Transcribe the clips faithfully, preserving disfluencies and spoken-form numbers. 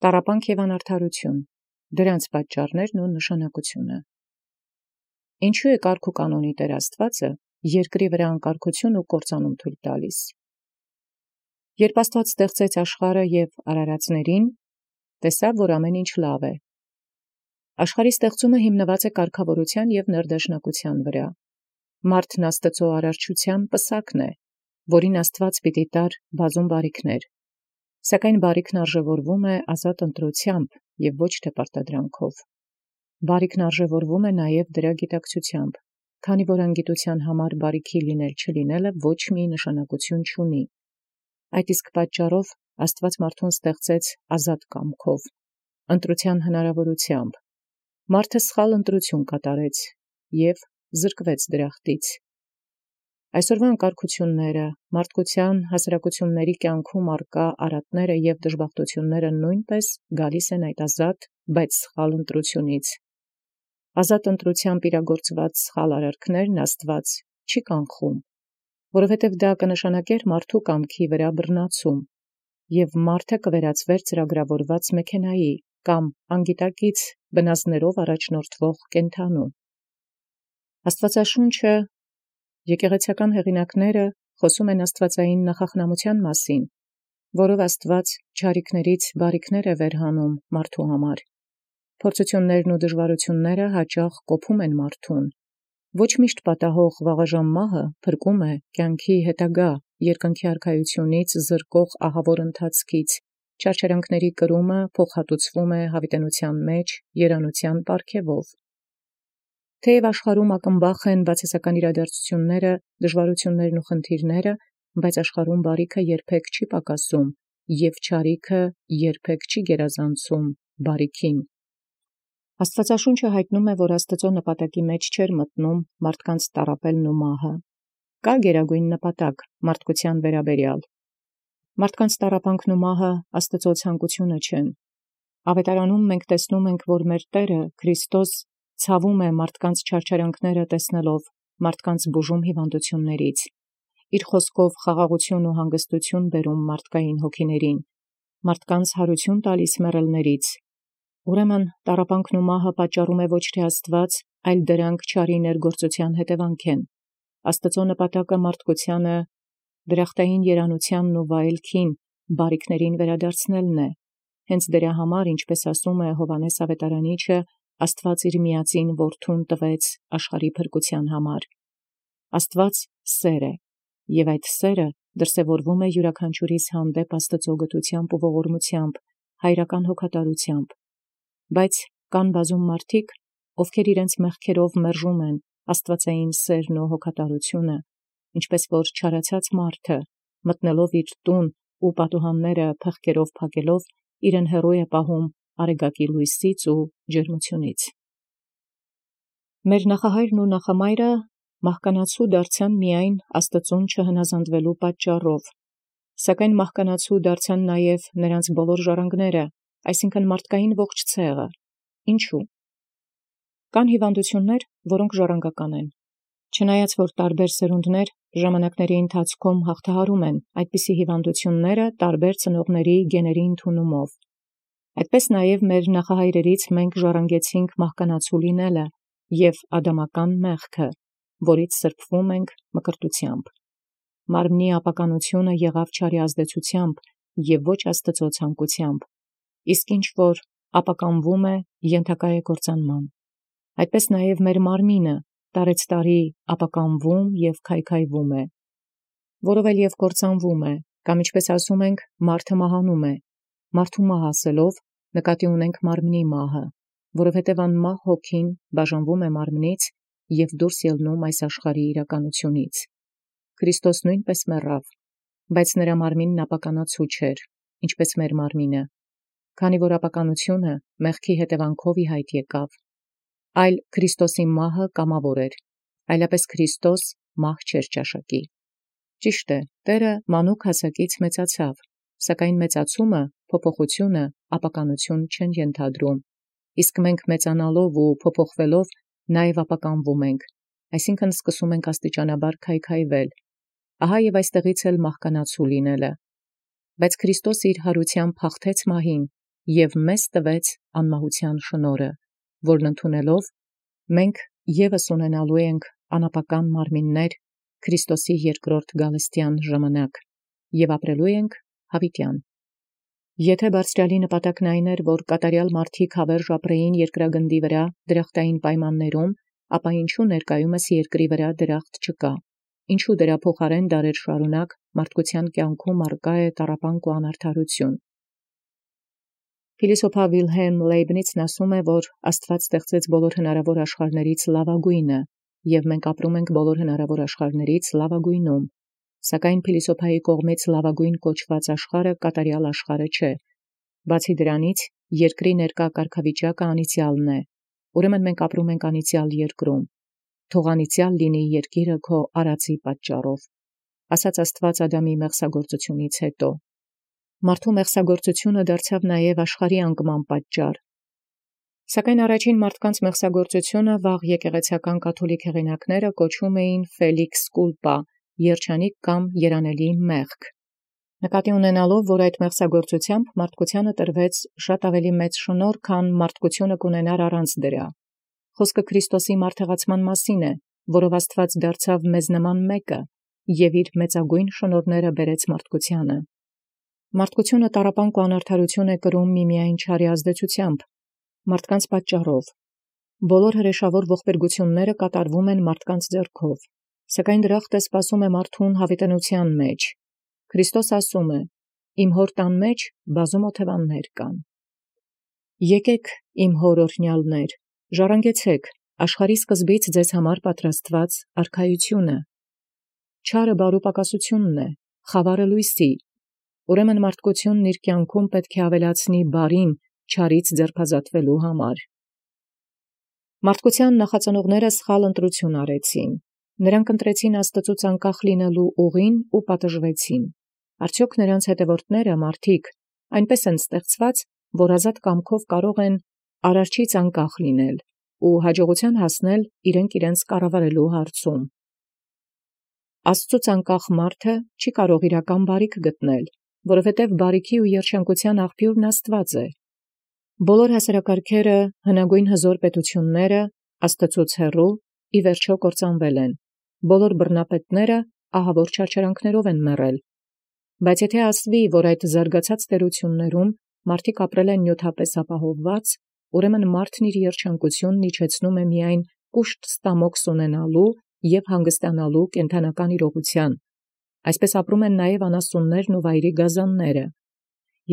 Տառապանք և անարդարություն, դրանց պատճառներն ու նշանակությունը։ Ինչու է կարգ ու կանոնի Տեր Աստվածը երկրի վրա անկարգություն ու կործանում թույլ տալիս։ Երբ Աստված ստեղծեց աշխարհը և արարածներին, տեսավ, որ ամեն ինչ լավ է։ Աշխարհի ստեղծումը հիմնված է կարգավորության և ներդաշնակության վրա։ Մարդն Աստծո արարչության պսակն է, որին Աստված պիտի տար բազում բարիքներ, սակայն բարիքն արժևորվում է ազատ ընտրությամբ և ոչ թե պարտադրանքով։ Բարիքն արժևորվում է նաև դրա գիտակցությամբ, քանի որ անգիտության համար բարիքի լինել չլինելը ոչ մի նշանակություն չունի։ Այդ իսկ պատճառով Աստված մարդուն ստեղծեց ազատ կամքով, ընտրության հնարավորությամբ։ Մարդը սխալ ընտրություն կատարեց և զրկվեց դրախտից։ Այսօրվա անկարգությունները, մարդկության հասարակությունների կյանքում առկա արատները և դժբախտությունները նույնպես գալիս են այդ ազատ, բայց սխալ ընտրությունից։ Ազատ ընտրությամբ իրագործված սխալ արարքներն Աստված չի կանխում, որովհետև դա կնշանակեր մարդու կամքի վրա բռնացում, և մարդը կվերածվեր ծրագրավորված մեքենայի կամ անգիտակից բնազդներով առաջնորդվող կենդանու։ Աստվածաշունչը, եկեղեցական հեղինակները խոսում են աստվածային նախախնամության մասին, որով Աստված չարիքներից բարիքներ է վերհանում մարդու համար։ Փորձություններն ու դժվարությունները հաճախ կոփում են մարդուն։ Ոչ միշտ պատահող վաղաժամ մահը փրկում է կյանքի հետագա երկնքի արքայությունից զրկող ահավոր ընթացքից, չարչարանքների կրումը փոխհատուցվում է հավիտենության մեջ երանության պարգևով։ Թեև աշխարհում ակնբախ են բացասական իրադարձությունները, դժվարություններն ու խնդիրները, բայց աշխարհում բարիքը երբեք չի պակասում, և չարիքը երբեք չի գերազանցում բարիքին։ Աստվածաշունչը հայտնում է, որ Աստծո նպատակի մեջ չէր մտնում մարդկանց տառապելն ու մահը։ Կա գերագույն նպատակ մարդկության վերաբերյալ։ Մարդկանց տառապանքն ու մահը Աստծո ցանկությունը չեն։ Ավետարանում մենք տեսնում ենք, որ մեր Տերը Քրիստոս ցավում է մարդկանց չարչարանքները տեսնելով, մարդկանց բուժում հիվանդություններից։ Իր խոսքով խաղաղություն ու հանգստություն բերում մարդկային հոգիներին, մարդկանց հարություն տալիս մեռելներից։ Ուրեմն տառապանքն ու մահը պատճառում է ոչ թե Աստված, այլ դրանք չարի ներգործության հետևանք են։ Աստծո նպատակը մարդկությանը դրախտային երանությանն ու վայելքին, բարիքներին վերադարձնելն է։ Հենց դրա համար, ինչպես ասում է Հովհաննես ավետարանիչը, Աստված իր միածին Որդուն տվեց աշխարհի փրկության համար։ Աստված սեր է, և այդ սերը դրսևորվում է յուրաքանչյուրիս հանդեպ Աստծո գթությամբ ու ողորմությամբ, հայրական հոգատարությամբ։ Բայց կան բազում մարդիկ, ովքեր իրենց մեղքերով մերժում են աստվածային սերն ու հոգատարությունը, ինչպես որ չարացած մարդը, մտնելով իր տուն ու պատուհանները փղկերով փակելով, իրեն հեռու է պահում արեգակի լույսից ու ջերմությունից։ Մեր նախահայրն ու նախամայրը մահկանացու դարձան միայն Աստծուն չհնազանդվելու պատճառով, սակայն մահկանացու դարձան նաև նրանց բոլոր ժառանգները, այսինքն մարդկային ողջ ցեղը։ Ինչու՞։ Կան հիվանդություններ, որոնք ժառանգական են։ Չնայած որ տարբեր սերունդներ ժամանակների ընթացքում հաղթահարում են այդպիսի հիվանդությունները տարբեր ծնողների գեների ընդունումով։ Այդպես նաև մեր նախահայրերից մենք ժառանգեցինք մահկանացու լինելը և ադամական մեղքը, որից սրբվում ենք մկրտությամբ։ Մարմնի ապականությունը եղավ չարի ազդեցությամբ և ոչ Աստծո ցանկությամբ, իսկ ինչ որ ապականվում է, ենթակա է կործանման։ Այդպես նաև մեր մարմինը տարեցտարի ապականվում և քայքայվում է, որով էլ և կործանվում է, կամ ինչպես ասում ենք, մարդը մահանում է։ Մարդու մահ ասելով նկատի ունենք մարմնի մահը, որովհետև անմահ հոգին բաժանվում է մարմնից և դուրս ելնում այս աշխարհի իրականությունից։ Քրիստոս նույնպես մեռավ, բայց նրա մարմինն ապականացու չէր, ինչպես մեր մարմինը, քանի որ ապականությունը մեղքի հետևանքով ի հայտ եկավ, այլ Քրիստոսի մահը կամավոր էր, այլապես Քրիստոս մահ չէր ճաշակի։ Ճիշտ է, Տերը մանուկ հասակից մեծացավ, սակայն մեծացումը, փոփոխությունը ապականություն չեն ենթադրում, իսկ մենք մեծանալով ու փոփոխվելով նաև ապականվում ենք, այսինքն սկսում ենք աստիճանաբար քայքայվել։ Ահա և այստեղից էլ մահկանացու լինելը։ Բայց Քրիստոս իր հարությամբ հաղթեց մահին և մեզ տվեց անմահութեան շնորհը, որն ընդունելով մենք ևս ունենալու ենք անապական մարմիններ Քրիստոսի երկրորդ գալստեան ժամանակ, և ապրելու ենք յաւիտեան։ Եթէ բարձրեալի նպատակն այն էր, որ կատարեալ մարդիկ հաւերժ ապրեին երկրագնդի վրա դրախտային պայմաններում, ապա ինչու ներկայումս երկրի վրա դրախտ չկա, ինչու դրա փոխարեն դարեր շարունակ մարդկության կյանքում արկա է տառապանք ու անարդարություն։ Փիլիսոփա Վիլհելմ Լեյբնիցն ասում է, որ Աստված ստեղծեց բոլոր հնարավոր աշխարհներից լավագույնը, և մենք ապրում ենք բոլոր հնարավոր աշխարհներից լավագույնում, սակայն փիլիսոփայի կողմից լավագույն կոչված աշխարհը կատարյալ աշխարհը չէ։ Բացի դրանից, երկրի ներկա կարգավիճակը անիծյալն է, ուրեմն մենք ապրում ենք անիծյալ երկրում։ Թող անիծյալ լինի երկիրը քո արածի պատճառով, ասաց Աստված Ադամի մեղսագործությունից հետո։ Մարդու մեղսագործությունը դարձավ նաև աշխարհի անկման պատճառ։ Սակայն առաջին մարդկանց մեղսագործությունը վաղ եկեղեցական կաթոլիկ հեղինակները կոչում էին Ֆելիքս Կուլպա, երջանիկ կամ երանելի մեղք, նկատի ունենալով, որ այդ մեղսագործությամբ մարդկությանը տրվեց շատ ավելի մեծ շնորհ, քան մարդկությունը կունենար առանց դրա։ Խոսքը Քրիստոսի մարդեղացման մասին է, որով Աստված դարձավ մեզ նման մեկը և իր մեծագույն շնորհները բերեց մարդկությանը։ Մարդկությունը տառապանք ու անարդարություն է կրում միմիայն չարի ազդեցությամբ, մարդկանց պատճառով։ Բոլոր հրեշավոր ողբերգությունները կատարվում են մարդկանց ձեռքով, սակայն դրախտը սպասում է մարդուն յաւիտենության մեջ։ Քրիստոս ասում է. «Իմ հոր տան մեջ բազում օթևաններ կան»։ Եկեք իմ հոր օրհնյալներ, ժառանգեցեք աշխարհի սկզբից ձեզ համար պատրաստված արքայությունը։ Չարը բարու պակասությունն է, խավարը լույսի։ Ուրեմն մարդկությունն իր կյանքում պետք է ավելացնի բարին չարից ձերբազատվելու համար։ Մարդկության նախածնողները սխալ ընտրություն արեցին։ Նրանք ընտրեցին Աստծուց անկախ լինելու ուղին ու պատժվեցին։ Արդյոք նրանց հետևորդները մարդիկ այնպես են ստեղծված, որ ազատ կամքով կարող են Արարչից անկախ լինել ու հաջողության հասնել իրենք իրենց կառավարելու հարցում։ Աստծուց անկախ մարդը չի կարող իրական բարիք գտնել, որովհետև բարիքի ու երջանկության աղբյուրն Աստված է։ Բոլոր հասարակարգերը, հնագույն հզոր պետությունները Աստծուց հեռու ի վերջո կործանվել են, բոլոր բռնապետները ահավոր չարչարանքներով են մեռել։ Բայց եթե ասվի, որ այդ զարգացած տերություններում մարդիկ ապրել են նյութապես ապահովված, ուրեմն մարդն իր երջանկությունն իջեցնում է միայն կուշտ ստամոքս ունենալու և հանգստանալու կենդանական իրողության։ Այսպես ապրում են նաև անասուններն ու վայրի գազանները։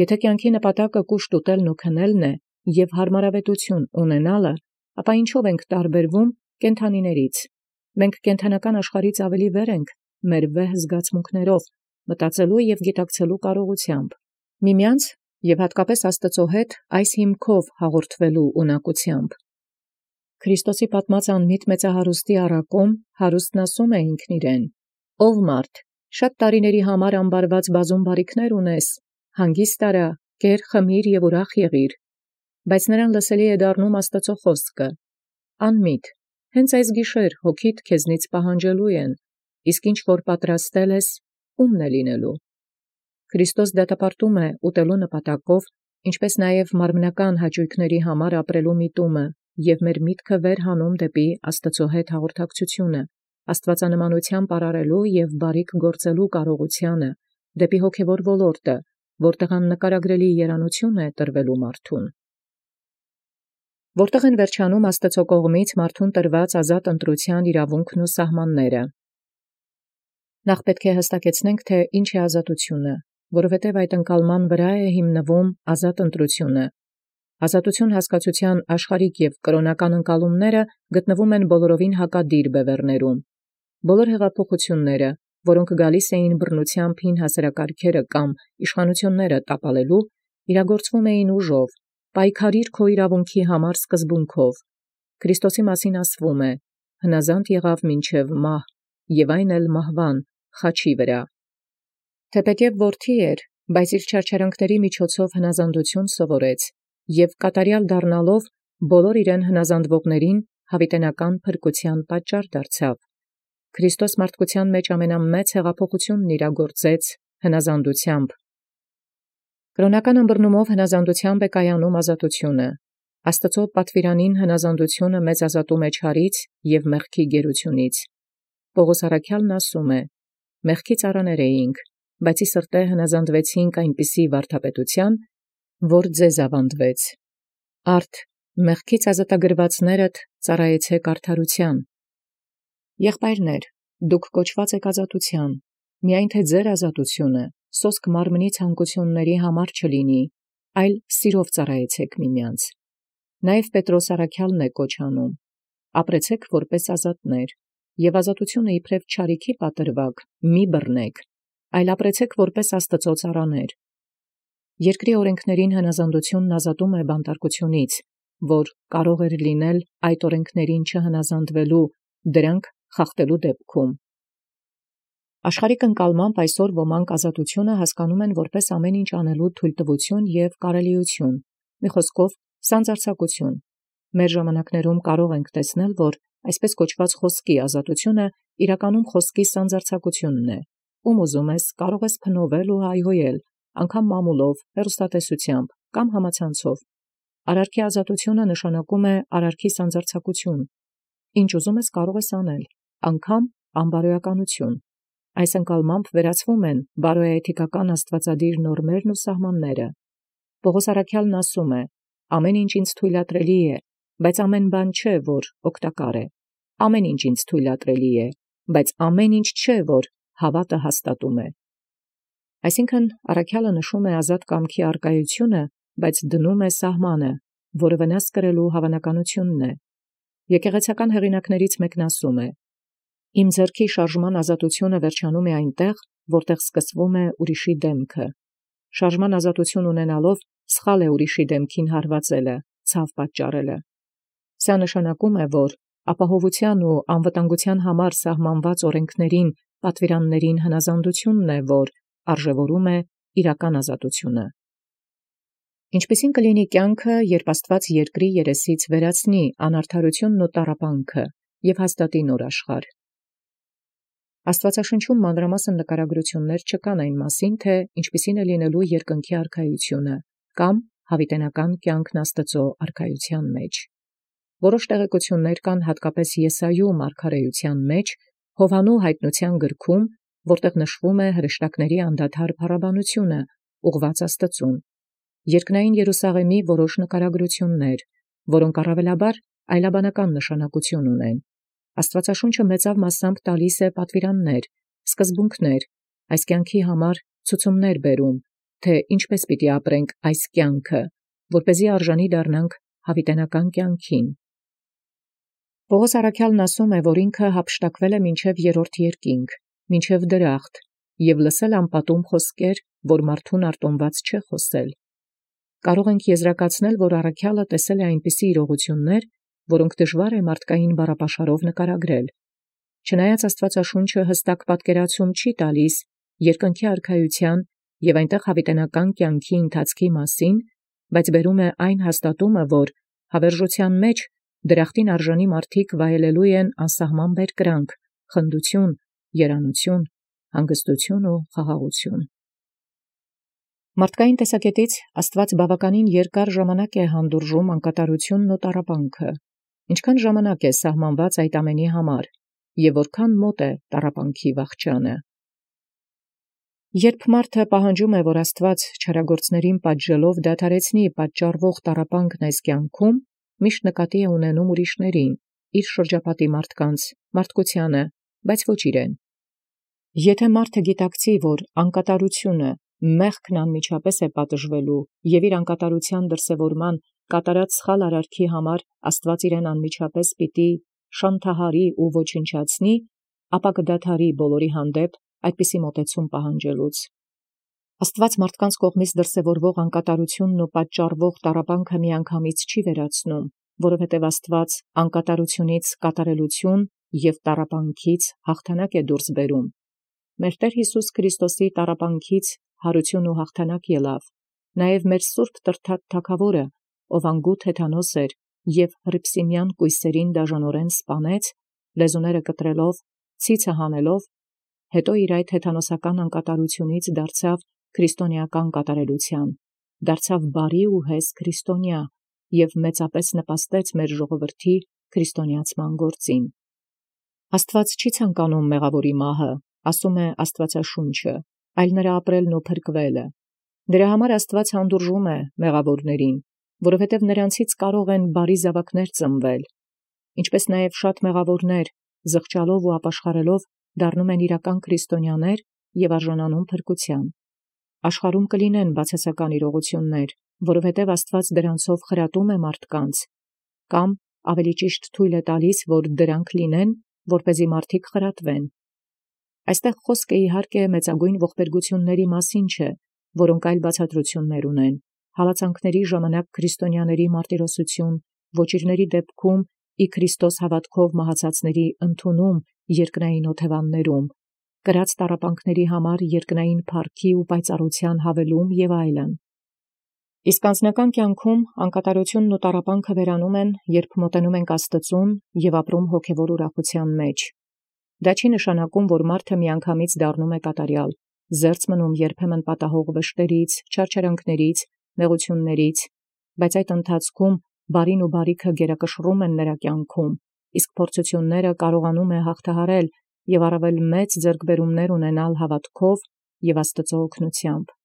Եթե կյանքի նպատակը կուշտ ուտելն ու քնելն է և հարմարավետություն ունենալը, ապա ինչով ենք տարբերվում կենդանիներից։ Մենք կենդանական աշխարհից ավելի վեր ենք մեր վեհ զգացմունքներով, մտածելու և գիտակցելու կարողությամբ, միմյանց և հատկապես Աստծո հետ այս հիմքով հաղորդվելու ունակությամբ։ Քրիստոսի պատմած անմիտ մեծահարուստի առակում հարուստն ասում է ինքն իրեն. «Ով մարդ, շատ տարիների համար ամբարված բազում բարիքներ ունես, հանգիստ արա, կեր, խմիր և ուրախ եղիր»։ Բայց նրան լսելի է դառնում Աստծո խոսքը. «Անմիտ, հենց այս գիշեր հոգիդ քեզնից պահանջելու են, իսկ ինչ որ պատրաստել ես, ո՞ւմն է լինելու»։ Քրիստոս դատապարտում է ուտելու նպատակով, ինչպես նաև մարմնական հաճույքների համար ապրելու միտումը և մեր միտքը վեր հանում դեպի Աստծո հետ հաղորդակցությունը, աստվածանմանությամբ արարելու և բարիք գործելու կարողությանը, դեպի հոգևոր ոլորտը, որտեղ աննկարագրելի երանություն է տրվելու մարդուն։ Որտեղ են վերջանում Աստծո կողմից մարդուն տրված ազատ ընտրության իրավունքն ու սահմանները։ Նախ պետք է հստակեցնենք, թե ինչ է ազատությունը, որովհետև այդ ընկալման վրա է հիմնվում ազատ ընտրությունը։ Ազատություն հասկացության աշխարհիկ և կրոնական ընկալումները գտնվում են բոլորովին հակադիր բևեռներում։ Բոլոր հեղափոխությունները, որոնք գալիս էին բռնությամբ հին հասարակարգերը կամ իշխանությունները տապալելու, իրագործվում էին ուժով, պայքարիր քո իրավունքի համար սկզբունքով։ Քրիստոսի մասին ասվում է. հնազանդ եղավ մինչև մահ, և այն էլ մահվան, խաչի վրա։ Թեպետև որդի էր, բայց իր չարչարանքների միջոցով հնազանդություն սովորեց, և կատարյալ դառնալով բոլոր իրեն հնազանդվողներին յաւիտենական փրկության պատճառ դարձավ։ Քրիստոս մարդկության մեջ ամենամեծ հեղափոխությունն իրագործեց հնազանդությամբ։ Կրոնական ըմբռնումով հնազանդութեամբ է կայանում ազատությունը, Աստուծո պատվիրանին հնազանդությունը մեծ ազատում է չարից և մեղքի գերությունից։ Պողոս առաքյալն ասում է. «Մեղքի ծառաներ էինք, բայց ի սրտե հնազանդվեցինք այնպիսի վարդապետության, որ ձեզ ավանդվեց։ Արդ մեղքից ազատագրվածներդ ծառայեցեք արդարության»։ Եղբայրներ, դուք կոչված եք ազատության, միայն թե ձեր ազատությունը սոսկ մարմնի ցանկությունների համար չլինի, այլ սիրով ծառայեցեք միմյանց։ Նաև Պետրոս առաքյալն է կոչ անում. «Ապրեցեք որպես ազատներ, և ազատությունը իբրև չարիքի պատրվակ մի բռնեք, այլ ապրեցեք որպես Աստծո ծառաներ»։ Երկրի օրենքներին հնազանդությունն ազատում է բանտարկությունից, որ կարող էր լինել այդ օրենքներին չհնազանդվելու, դրանք խախտելու դեպքում։ Աշխարհիկ ընկալմամբ այսօր ոմանք ազատությունը հասկանում են որպես ամեն ինչ անելու թույլտվություն և կարելիություն, մի խոսքով սանձարձակություն։ Մեր ժամանակներում կարող ենք տեսնել, որ այսպես կոչված խոսքի ազատությունը իրականում խոսքի սանձարձակությունն է, ում ուզում ես կարող ես փնովել ու հայհոյել, անգամ մամուլով, հեռուստատեսությամբ կամ համացանցով։ Արարքի ազատությունը նշանակում է արարքի սանձարձակություն, ինչ ուզում ես կարող ես անել, անգամ անբարոյականություն։ Այս ընկալմամբ վերացվում են բարոյաէթիկական աստվածադիր նորմերն ու սահմանները։ Պողոս առաքյալն ասում է. «Ամեն ինչ ինձ թույլատրելի է, բայց ամեն բան չէ, որ օգտակար է. ամեն ինչ ինձ թույլատրելի է, բայց ամեն ինչ չէ, որ հավատը հաստատում է»։ Այսինքն առաքյալը նշում է ազատ կամքի արկայությունը, բայց դնում է սահմանը, որը վնաս կրելու հավանականությունն է։ Եկեղեցական հեղինակներից մեկն ասում է. «Իմ ձեռքի շարժման ազատությունը վերջանում է այնտեղ, որտեղ սկսվում է ուրիշի դեմքը։ Շարժման ազատություն ունենալով սխալ է ուրիշի դեմքին հարվածելը, ցավ պատճառելը։ Սա նշանակում է, որ ապահովության ու անվտանգության համար սահմանված օրենքներին, պատվիրաններին հնազանդությունն է, որ արժևորում է իրական ազատությունը։ Ինչպիսին կլինի կյանքը, երբ Աստված երկրի երեսից վերացնի անարդարությունն ու տառապանքը և հաստատի նոր աշխարհ։ Աստվածաշնչում մանրամասն նկարագրություններ չկան այն մասին, թե ինչպիսին է լինելու երկնքի արքայությունը կամ հավիտենական կյանքն Աստծո արքայության մեջ։ Որոշ տեղեկություններ կան հատկապես Եսայու մարգարեության մեջ, Հովհաննու հայտնության գրքում, որտեղ նշվում է հրեշտակների անդադար փառաբանությունը, ուղղված Աստծուն, երկնային Երուսաղեմի որոշ նկարագրություններ, որոնք առավելաբար այլաբանական նշանակություն ունեն։ Աստվածաշունչը մեծավ մասամբ տալիս է պատվիրաններ, սկզբունքներ, այս կյանքի համար ցուցումներ բերում, թե ինչպես պիտի ապրենք այս կյանքը, որպեսզի արժանի դառնանք հավիտենական կյանքին։ Պողոս առաքյալն ասում է, որ ինքը հափշտակվել է մինչև երրորդ երկինք, մինչև դրախտ, և լսել անպատում խոսքեր, որ մարդուն արտոնված չէ խոսել։ Կարող ենք եզրակացնել, որ առաքյալը տեսել է այնպիսի իրողություններ, որոնք դժվար է մարդկային բառապաշարով նկարագրել։ Չնայած Աստվածաշունչը հստակ պատկերացում չի տալիս երկնքի արքայության և այնտեղ հավիտենական կյանքի ընթացքի մասին, բայց բերում է այն հաստատումը, որ հավերժության մեջ դրախտին արժանի մարդիկ վայելելու են անսահման բերկրանք, խնդություն, երանություն, հանգստություն ու խաղաղություն։ Մարդկային տեսակետից Աստված բավականին երկար ժամանակ է հանդուրժում անկատարությունն ու տառապանքը, ինչքան ժամանակ է սահմանված այդ ամենի համար, և որքան մոտ է տառապանքի վախճանը։ Երբ մարդը պահանջում է, որ Աստված չարագործներին պատժելով դադարեցնի պատճառվող տառապանքն այս կյանքում, միշտ նկատի է ունենում ուրիշներին, իր շրջապատի մարդկանց, մարդկությանը, բայց ոչ իրեն։ Եթե մարդը գիտակցի, որ անկատարությունը, մեղքն անմիջապես է պատժվելու և իր անկատարության դրսևորման կատարած սխալ արարքի համար Աստված իրեն անմիջապես պիտի շանթահարի ու ոչնչացնի, ապա կդադարի բոլորի հանդեպ այդպիսի մոտեցում պահանջելուց։ Աստված մարդկանց կողմից դրսևորվող անկատարությունն ու պատճառվող տառապանքը միանգամից չի վերացնում, որովհետև Աստված անկատարությունից կատարելություն և տառապանքից հաղթանակ է դուրս բերում։ Մեր Տեր Հիսուս Քրիստոսի տառապանքից հարություն ու հաղթանակ ելավ, նաև մեր սուրբ տրթած Թագավորը, ով անգութ հեթանոս էր և հռիփսիմյան կույսերին դաժանորեն սպանեց, լեզուները կտրելով, ցիցը հանելով, հետո իր այդ հեթանոսական անկատարությունից դարձավ քրիստոնեական կատարելութեան, դարձավ բարի ու հես քրիստոնյա և մեծապես նպաստեց մեր ժողովրդի քրիստոնեացման գործին։ Աստված չի ցանկանում մեղավորի մահը, ասում է Աստվածաշունչը, այլ նրա ապրելն ու փրկվելը։ Դրա համար Աստված հանդուրժում է մեղավորներին, որովհետև նրանցից կարող են բարի զավակներ ծնվել, ինչպես նաև շատ մեղավորներ, զղջալով ու ապաշխարելով, դառնում են իրական քրիստոնյաներ և արժանանում փրկության։ Աշխարհում կլինեն բացասական իրողություններ, որովհետև Աստված դրանցով խրատում է մարդկանց, կամ ավելի ճիշտ թույլ է տալիս, որ դրանք լինեն, որպեսզի մարդիկ խրատվեն։ Այստեղ խոսքը իհարկե մեծագույն ողբերգությունների մասին չէ, որոնք այլ բացատրություններ ունեն, հալածանքների ժամանակ քրիստոնյաների մարտիրոսություն, ոճիրների դեպքում ի Քրիստոս հավատքով մահացածների ընդունում երկնային օթևաններում, կրած տառապանքների համար երկնային փառքի ու պայծառության հավելում և այլն։ Իսկ անձնական կյանքում անկատարությունն ու տառապանքը վերանում են, երբ մոտենում ենք Աստծուն և ապրում հոգևոր ուրախության մեջ։ Դա չի նշանակում, որ մարդը միանգամից դառնում է կատարյալ, զերծ մնում երբեմն պատահող վշտերից, չարչարանքներից, նեղություններից, բայց այդ ընթացքում բարին ու բարիքը գերակշռում են նրա կյանքում, իսկ փորձությունները կարողանում է հաղթահարել և առավել մեծ ձեռքբերումներ ունենալ հավատքով և Աստծո օգնությամբ։